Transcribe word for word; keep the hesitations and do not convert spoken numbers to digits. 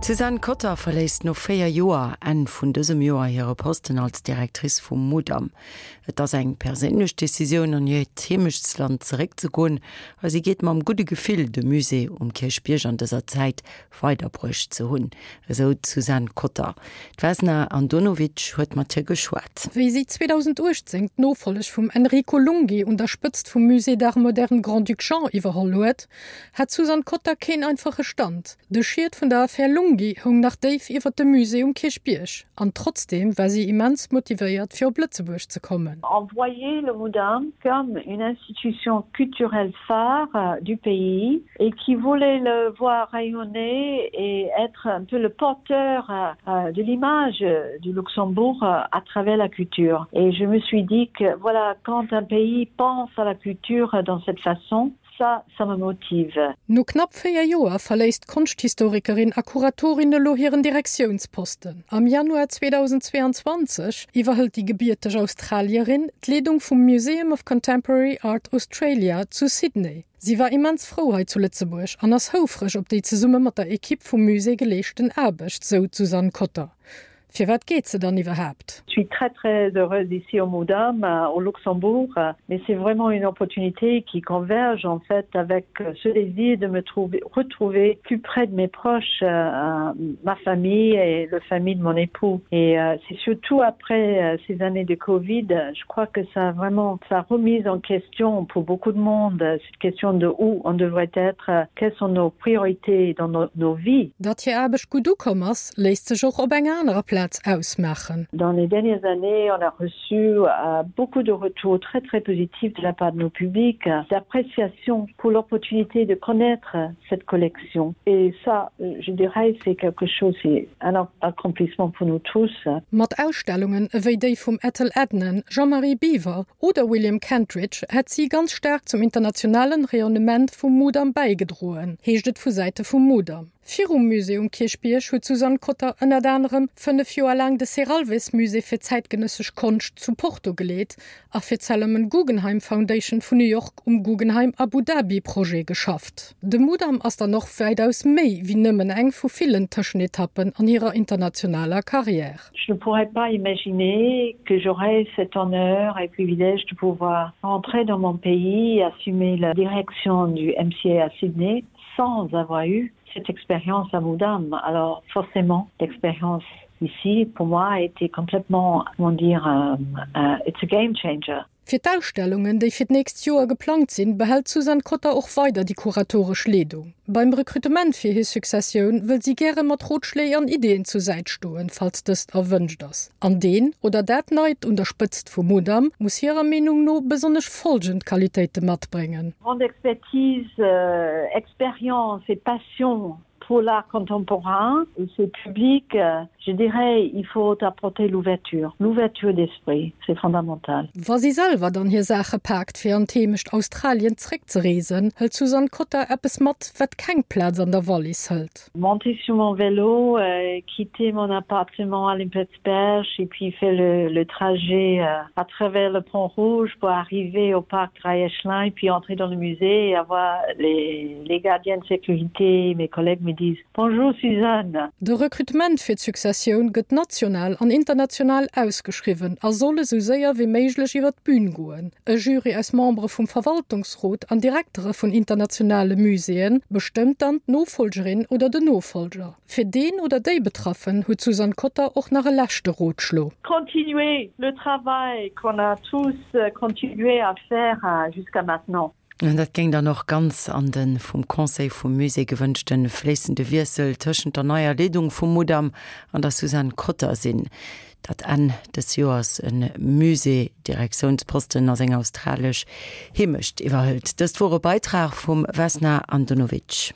D'Suzanne Cotter verléisst no véier Joer Enn vun dësem Joer hire Posten als Directrice vum Mudam. Et ass eng perséinlech Decisioun an hiert Heemechtsland zeréckzegoen, a si geet mam gudde Gefill de Musée um Kierchbierg an dëser Zäit weiderbruecht ze hunn, esou d'Suzanne Cotter. D'Vesna Andonovic huet mat hir geschwat. Wéi si zweedausenduechtzéng d'Nofolleg vum Enrico Lunghi un der Spëtzt vum Musée d'Art moderne Grand-Duc Jean iwwerholl huet, hat d'Suzanne Cotter keen einfache Stand. De Schiet vun der Affär Lunghi houng nach déif iwwer dem Musée um Kierchbierg, an trotzdeem war si immens motivéiert fir op Lëtzebuerg ze kommen. On voyait le Mudam comme une institution culturelle phare du pays et qui voulait le voir rayonner et être un peu le porteur de l'image du Luxembourg à travers la culture. Et je me suis dit que voilà quand un pays pense à la culture dans cette façon, ça, ça me motive. No knapp véier Joer verléisst d'Konschthistorikerin a Kuratorin elo hiren Direktiounsposten. Am Januar zweedausendzweeanzwanzeg iwwerhëlt déi gebierteg Australierin d'Leedung vum Museum of Contemporary Art Australia zu Sydney. Si war immens frou hei zu Lëtzebuerg an ass houfreg op déi zesumme mat der Ekipp vum Musée geleeschten Aarbecht, sou d'Suzanne Cotter. Firwat geet se dann iwwerhaapt? Je suis très très heureuse ici au Mudam, au Luxembourg, mais c'est vraiment une opportunité qui converge en fait avec ce désir de me trouver, retrouver plus près de mes proches, euh, ma famille et la famille de mon époux. Et euh, c'est surtout après euh, ces années de Covid, je crois que ça a vraiment ça a remise en question pour beaucoup de monde cette question de où on devrait être, quelles sont nos priorités dans nos, nos vies. Datt hir Aarbecht gutt ukomm ass, léisst sech och op enger anerer Plaz ausmaachen. Dans les dernières années, on a reçu euh, beaucoup de retours très très positifs de la part de nos publics, d'appréciation pour l'opportunité de connaître cette collection. Et ça, je dirais, c'est quelque chose, c'est un accomplissement pour nous tous. Mat Ausstellungen ewéi déi vum Ethel Adnan, Jean-Marie Biwer oder William Kentridge hätt si ganz staark zum internationalen Rayonnement vum Mudam bäigedroen, heescht et vu Säite vum Mudam. Virum Musée um Kierchbierg huet d'Suzanne Cotter ënnert anerem fënnef Joer laang de Serralves Musée fir zäitgenëssesch Konscht zu Porto geleet a fir d'Solomon Guggenheim Foundation vun New York um Guggenheim Abu Dhabi Projet geschafft. De Mudam ass dann och wäitaus méi wéi nëmmen eng vu villen Tëschenetappen an hirer internationaler Karriär. Je ne pourrais pas imaginer que j'aurais cet honneur et privilège de pouvoir rentrer dans mon pays et assumer la direction du M C A à Sydney sans avoir eu cette expérience à Mudam. Alors forcément, l'expérience ici, pour moi, a été complètement, comment dire, euh, euh, it's a game changer. Fir d'Ausstellungen, déi fir d'nächst Joer geplangt sinn, behält d'Suzanne Cotter och weider déi kuratoresch Leedung. Beim Rekrutement fir hir Successioun wëll si gäre mat Rotschléi an Ideeën zur Säit stoen, falls dëst erwënscht ass. An deen oder dat Neit un der Spëtzt vum Mudam muss hirer Meenung no besonnesch follgend Qualitéite matbréngen. Grande expertise, euh, expérience et passion pour l'art contemporain et ce public, euh, je dirais, il faut apporter l'ouverture, l'ouverture d'esprit, c'est fondamental. Wa si selwer dann hir Saache paakt fir an d'Heemecht Australien zréckzereesen, hëlt d'Suzanne Cotter eppes mat, wat keng Plaz an der Wallis hëlt. Monter sur mon vélo, euh, quitter mon appartement à Limpertsberg et puis faire le, le trajet euh, à travers le pont rouge pour arriver au parc Dräi-Esch-Lein, puis entrer dans le musée et avoir les, les gardiens de sécurité, mes collègues me disent Bonjour Suzanne. De Rekrutement fir d'Successioun gëtt national an international ausgeschriwwen a soll esou séier wéi méiglech iwwer d'Bün goen. E Jury aus Membere vum Verwaltungsrot an Direktere vun internationale Muséeën bestëmmt dann d'Nofollgerin oder den Nofollger. Fir deen oder déi Betraffen huet d'Suzanne Cotter och nach e leschte Rotschlo. Continuer le travail qu'on a tous euh, continué à faire euh, jusqu'à maintenant. An dat géing dann och ganz an de vum Conseil vum Musée gewënschte fléissende Wiessel tëschent der neier Leedung vum Mudam an der Suzanne Cotter sinn, dat Enn des Joers e Musée-Direktiounsposten a senger australescher Heemecht iwwerhëlt. Dëst wor e Beitrag vum Vesna Andonovic.